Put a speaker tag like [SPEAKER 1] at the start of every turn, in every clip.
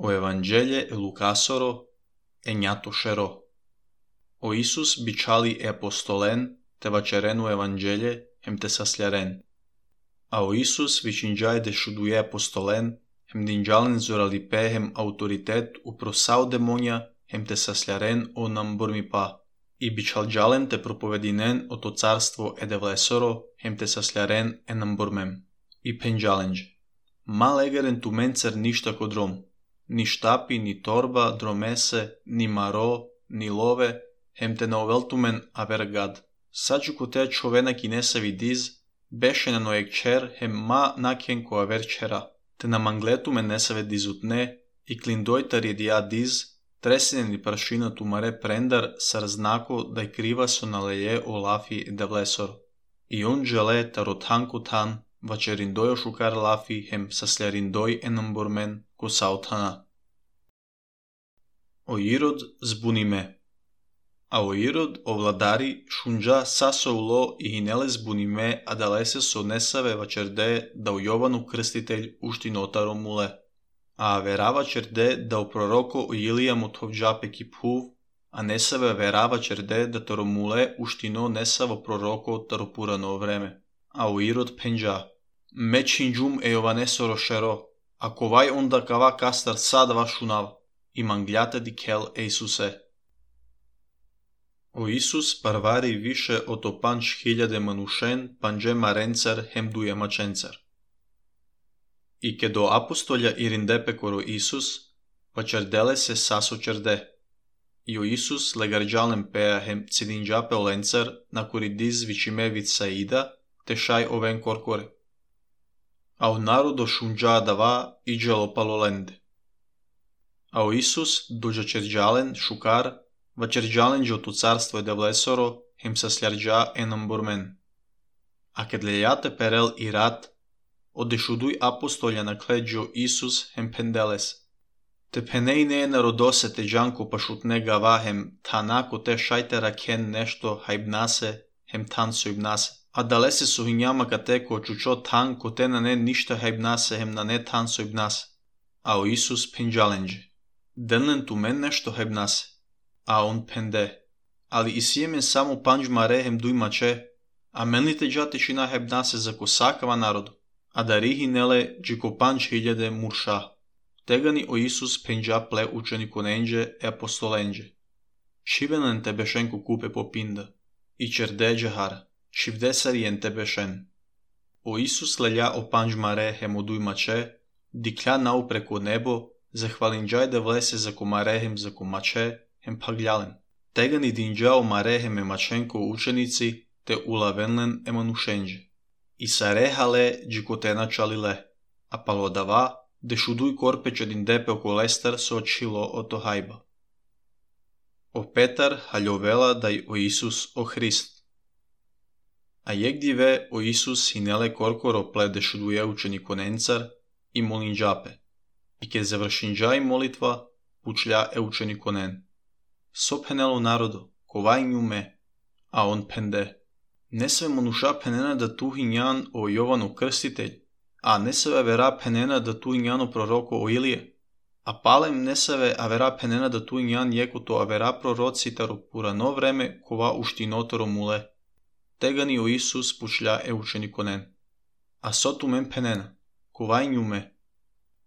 [SPEAKER 1] O Evanghelje e Lukasoro e njatoshero. O Isus biçali e apostolen te vaçerenu Evanghelje hem te saslaren. A o Isus viçinjaj de shuduje apostolen hem dinjalen zoralipe hem autoritet u prosau demonja hem te saslaren o nambormipa. I biçalgjalen te propovedinen o to carstvo e devlesoro hem te saslaren e nambormem. I penjalenđe. Ma legeren tu mencer ništa kodrom. Ni štapi, ni torba, dromese, ni maro, ni love, hem te naoveltumen aver gad. Sađu ko te čovena ki nesavi diz, bešena noeg čer, hem ma nakjen ko aver čera. Te na mangletumen nesave dizutne, i klindojtar je dija diz, tresinen i prašina tu mare prendar, sar znako daj kriva so naleje o lafi da vlesor. I on žele tarothanku tan, vačerindoj šukar lafi hem saslerindoj enambormen ko sautana. O Irod zbuni me. A o Irod o vladari šunđa saso ulo i hinele zbuni me adalese so nesave vačerde da u Jovanu krstitelj ušti notaro mule. A verava čerde da u proroko o Ilija mutovđape kiphuv, a nesave verava čerde da taro mule uštino nesavo proroko taro purano vreme. A o Irod penđa. Me činđum e jovanesoro šero, a kovaj onda kava kastar sad vašunav, i mangljate di kel e Isuse. O Isus parvari više od o 5.000 manušen panđe marencar hem duje mačencar. I ke do apostolja irindepe koro Isus, pa čerdele se saso čerde. I o Isus legarđalem pea hem cidinđape olencar na kori diz vičime vid saida, te šaj oven korkore. A o narodo šunđa dava i dželo palolende. A o Isus dođa čerđalen šukar, va čerđalenđe o tu carstvo je devlesoro, hem sasljarđa enambormen. A kad lejate perel i rat, odešuduj apostolja na kleđo Isus hem pendeles. Te penej ne narodose te džanko pašutne gava hem tanako te šajtera ken nešto hajbnase hem tan sojbnase. A dalese su hinjama kateko čučo tan ko te na ne ništa hajbnase hem na ne tan sojbnase. A o Isus penđalenđe. Denlen tu men nešto hajbnase. A on pende. Ali i sjemen samo panđ mare hem duj mače. A menli te džate čina hajbnase za kosakava narodu. A da rihi nele džiko 5.000 murša. Tegani o Isus penđa ple učeni konenđe e apostolenđe. Čivenen te bešenku kupe popinda. I čerde džahara. Čivdesari en te bešen. O Isus lelja o panđ mare hem oduj mače. Diklja nau preko nebo. Zahvalinđaj da vlese za ko mare hem za ko mače hem pagljalem. Tegani dinđa o mare hem e mačenko učenici te ulavenlen e manušenđe. I sarehale džikotena čalile, a palodava dešuduj korpeče din depe oko lestar so očilo o to hajba. O Petar haljovela daj o Isus o Hrist. A jegdive o Isus hinele korkoro ple dešuduje učeni konencar i molinđape. I ke završinđa i molitva pučlja e učeni konen. So penelo narodo, kovaj njume, a on pende. Ne sve monuša penena da tu hinjan o Jovanu krstitelj, a ne sve vera penena da tu hinjano proroko o Ilije, a palem ne sve avera penena da tu hinjan jeko to avera proroci taro purano vreme kova uštinotoro mule. Tegani o Isus pučlja e učeni konen. A so tu men penena, kovaj njume.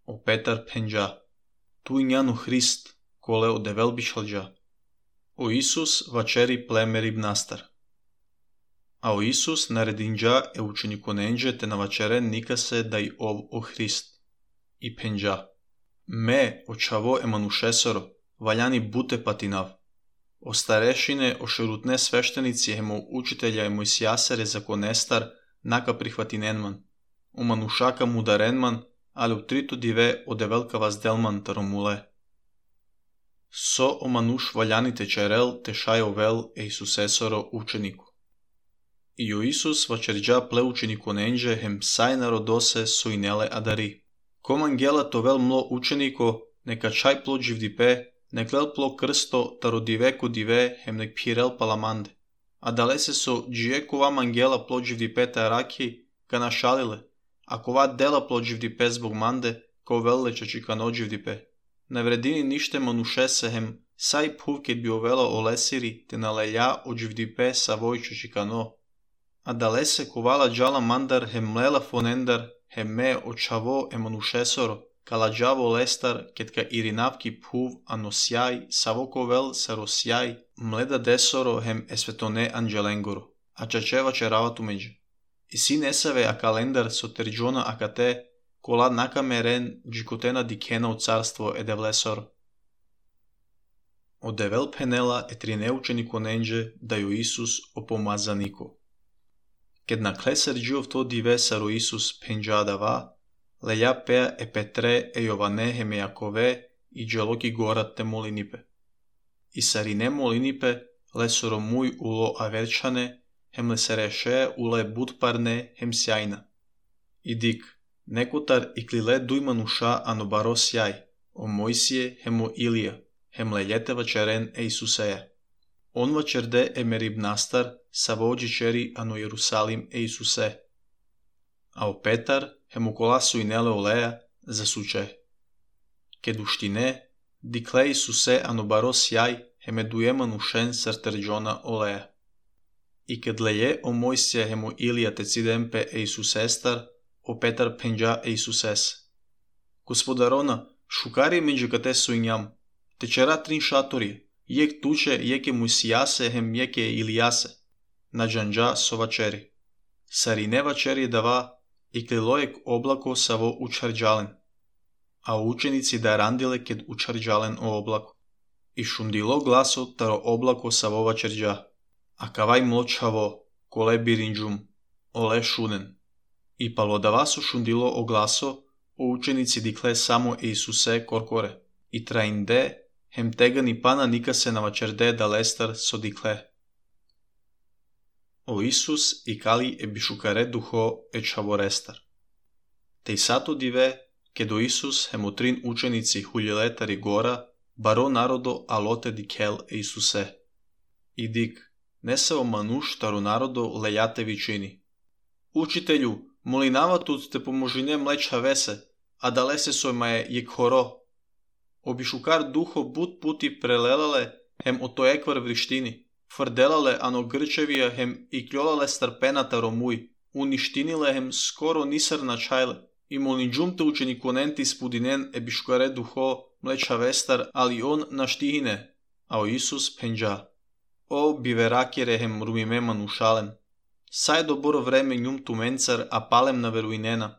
[SPEAKER 1] O Petar penđa. Tu hinjano Hrist, kole o devel bišalđa. O Isus vačeri plemerib nastar. A o Isus naredinđa e učeni konenđe te na vačeren nikase daj ov o Hrist. I penđa. Me, očavo e manušesoro, valjani bute patinav. O starešine, o šerutne sveštenici hemo učitelja e Mojsijasere za konestar, naka prihvatinenman. O manušaka mudarenman, ali u tritu dive o develka vazdelman taromule. So o manuš valjani te čerel te šajo vel e Isusesoro učeniku. I o Isus vačerđa ple učeni konenđe hem saj narodose so inele adari. Kom angela to vel mlo učeniko, neka čaj plo dživdipe, nek vel plo krsto taro diveko dive hem nek pirel palamande. A dalese so džijekova angela plo dživdipe taraki, ka našalile, a kova dela plo dživdipe zbog mande, ko vel lečači ka no dživdipe. не вредини нище манушесехем, сай пувкет биовела олесири, те налеля оджвдипе савойчо чикано. А далесе ковала джала мандар хемлела фонендар, хемме очаво еманушесоро, каладжаво лестар, кетка иринавки пув аносяй, савоковел саросяй, мледа десоро хем есветоне анджеленгоро, а чачева черавату меđe. И си несаве а календар со терджона акате, кола накамерен джикотена дикена от царство едевлесоро. Одевел пенела етрине ученико ненđe да јо Исус опомазанико. Кед наклесер джиов то диве саро Исус пенджадава, леја пеа е Петре е Јоване хеме Јакове и джелоки горат те молинипе. И сарине молинипе лесоро муј уло аверчане, хем лесереше уле будпарне хем сјајна. И дик, некотар и клиле дујмануша ано баро сјај, о Мојсие хемо Илија, хем лејетева черен е Исусеја. Он вачерде е мерибнастар, савоđи чери ано Јерусалим е Исусе. А о Петар хему коласу и неле олеја за суче. Ке душтине, дикле Исусе ано баро сјај, хеме дујеманушен сртерджона олеја. И кед леје о Мојсија хему Илија тецидемпе е Исусестар, о Петар пенџа е Исусес. Господарона, шукари меđe кате сујњам, течера трин шатори, јек туче, јеке Мојсијасе хем јеке Илијасе, на джанџа со вачери. Сарине вачери дава, и клилоек облако саво учарџален, а ученици да рандиле кед учарџален о облако. И шундило гласо таро облако саво вачерџа, а кавај млочаво, коле биринџум, оле шунен. И палодавасо шундило о гласо, о ученици дикле само е Исусе коркоре, и траинде, хем теган и пана никасе на вачерде да лестар со дикле. О Исус и кали е бишукаре духо е чаворестар. Теј сато диве, ке до Исус хемотрин ученици хулјелетари гора, баро народо алоте дикел е Исусе. И дик, не се омануш таро народо лејате вичини. Учителју, молинаватут те поможине млеча весе, а далесе сојмае јек хоро. Обишукар духо бут пути прелелале, хем отоеквар вриштини, фрделале ано грчевија хем и кљолале старпената ромуј, уништиниле хем скоро нисар на чајле, и молинџумте учениконенти спудинен е бишукаре духо млеча вестар, али он наштихине, а о Исус пенџа. О биверакере хем румиме манушален, сај добро време њум туменцар, а палем на веруинена,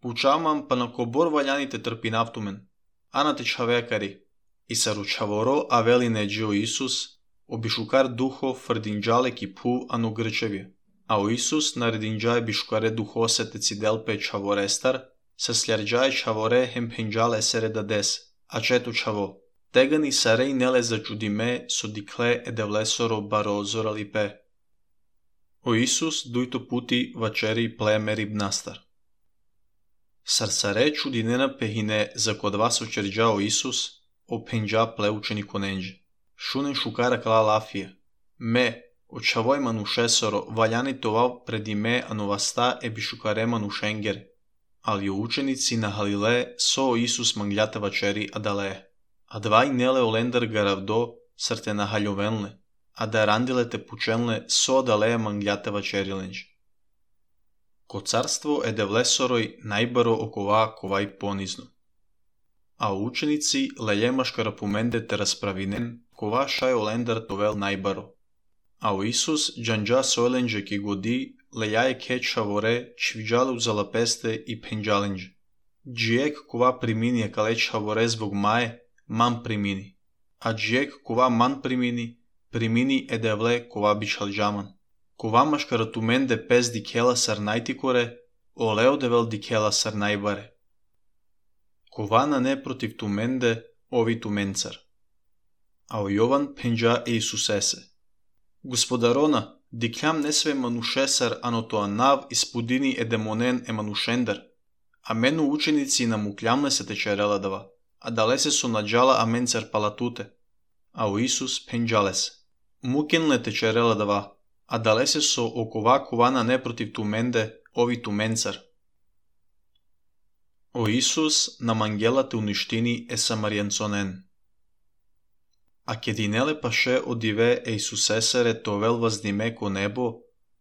[SPEAKER 1] пучамам па на кобор ваљаните трпинавтумен, а на те чавекари, и саручаворо а велине джио Исус, обишукар духо фрдинџале ки пу ано грчевија, а о Исус нарединџаe бишукаре духо се тeciделпе чаворестар, се слјарџаe чаворе хем пенџале сере дадес, а чето чаво, тегани сареј неле зачудиме со дикле едевлесоро баро зоралипе. О Исус дујто пути вачери племе рибнастар. Сарсаре чудинена пехине за кодва со черџа о Исус, о пенџа пле ученико ненđe. Шунен шукара кала лафија. Ме, очавој манушесоро, ваљани това преди ме ановаста е бишукаре манушенгер. Али ученици на Халиле со Исус манглјата вачери адале. А двај неле олендар гаравдо срте на халјовенле, а да рандилете пученле со адалеја манглјата вачериленđe. Ко царство е девлесорој најбаро окова ковај понизно. А ученици лејемашкара поменде те расправинен, кова шај олендар товел најбаро. А о Исус джанџа сојленđe ки годи лејаје кеча воре чвиџалу залапесте и пенџаленđe. Джиек кова примини калеча воре због мае, ман примини. А джиек кова ман примини, примини едевле кова бичалџаман. Кова машкара туменде пес дикела сар најтикоре, олео девел дикела сар најбаре. Кова на не против туменде, ови туменцар. А о Јован пенџа е Исусесе. Господарона, диклјам не све манушесар, ано тоа нав испудини е демонен е манушендар. А мену ученици на муклјамле се течерела дава, а далесе со наџала аменцар палатуте. А о Исус пенџалесе. Мукенле течерела дава, а далесе со окова кована не против туменде, ови туменцар. O Isus nam angelate uniștinii e samarienconen. A kedinele paše odive Eisusesere tovel vazdime ko nebo,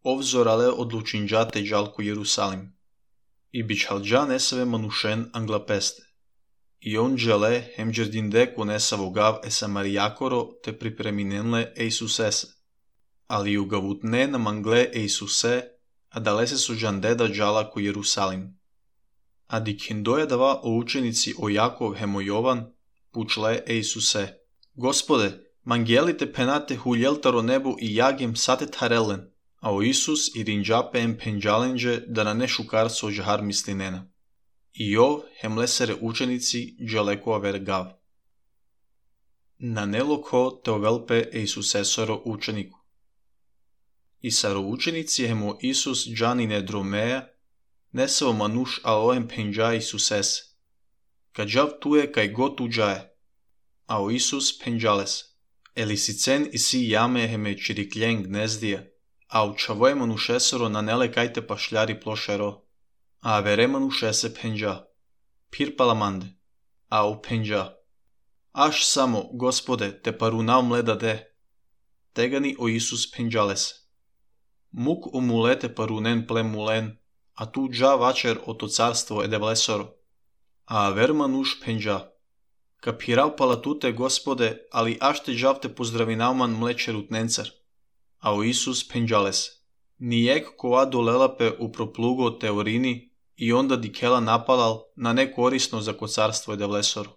[SPEAKER 1] ovzorale odlučinđate džalku Jerusalim. I bičhalđa neseve manušen anglapeste. I on džele hem džerdinde ko nesavogav e samarijakoro te pripreminenle Eisusese. Ali ugavutne nam angle Eisuse, a dalese su džandeda džala ko Jerusalim. A dikindoje dava o učenici o Jakov hemo Jovan, pučle Eisuse. Gospode, mangelite penate huljeltaro nebu i jagem sate tarellen, a o Isus i rinđape em penđalenđe da na ne šukarco žahar mislinena. I jov hem lesere učenici dželeko aver gav. Na neloko te ovelpe Eisusesoro učeniku. I saro učenici hemo Isus džanine dromeja, nesao manuš aloem penđa Isusese. Kadžav tuje kaj god uđaje. A o Isus penđales. Elisicen i si jame heme čirikljen gnezdija, a u čavoje manušesoro na nele kajte pašljari plošero. A vere manušese penđa. Pir palamande. A u penđa. Aš samo, Gospode, te parunav mleda de. Tegani o Isus penđales. Muk umulete parunen ple mulen, a tu dža vačer oto carstvo edevlesoro. A ver manuš penđa. Kapirav palatute, Gospode, ali ašte džavte pozdravinaman mlečerut nencar. A o Isus penđales. Nijek ko adolelape u proplugo teorini i onda dikela napalal na nekorisno za kocarstvo edevlesoro.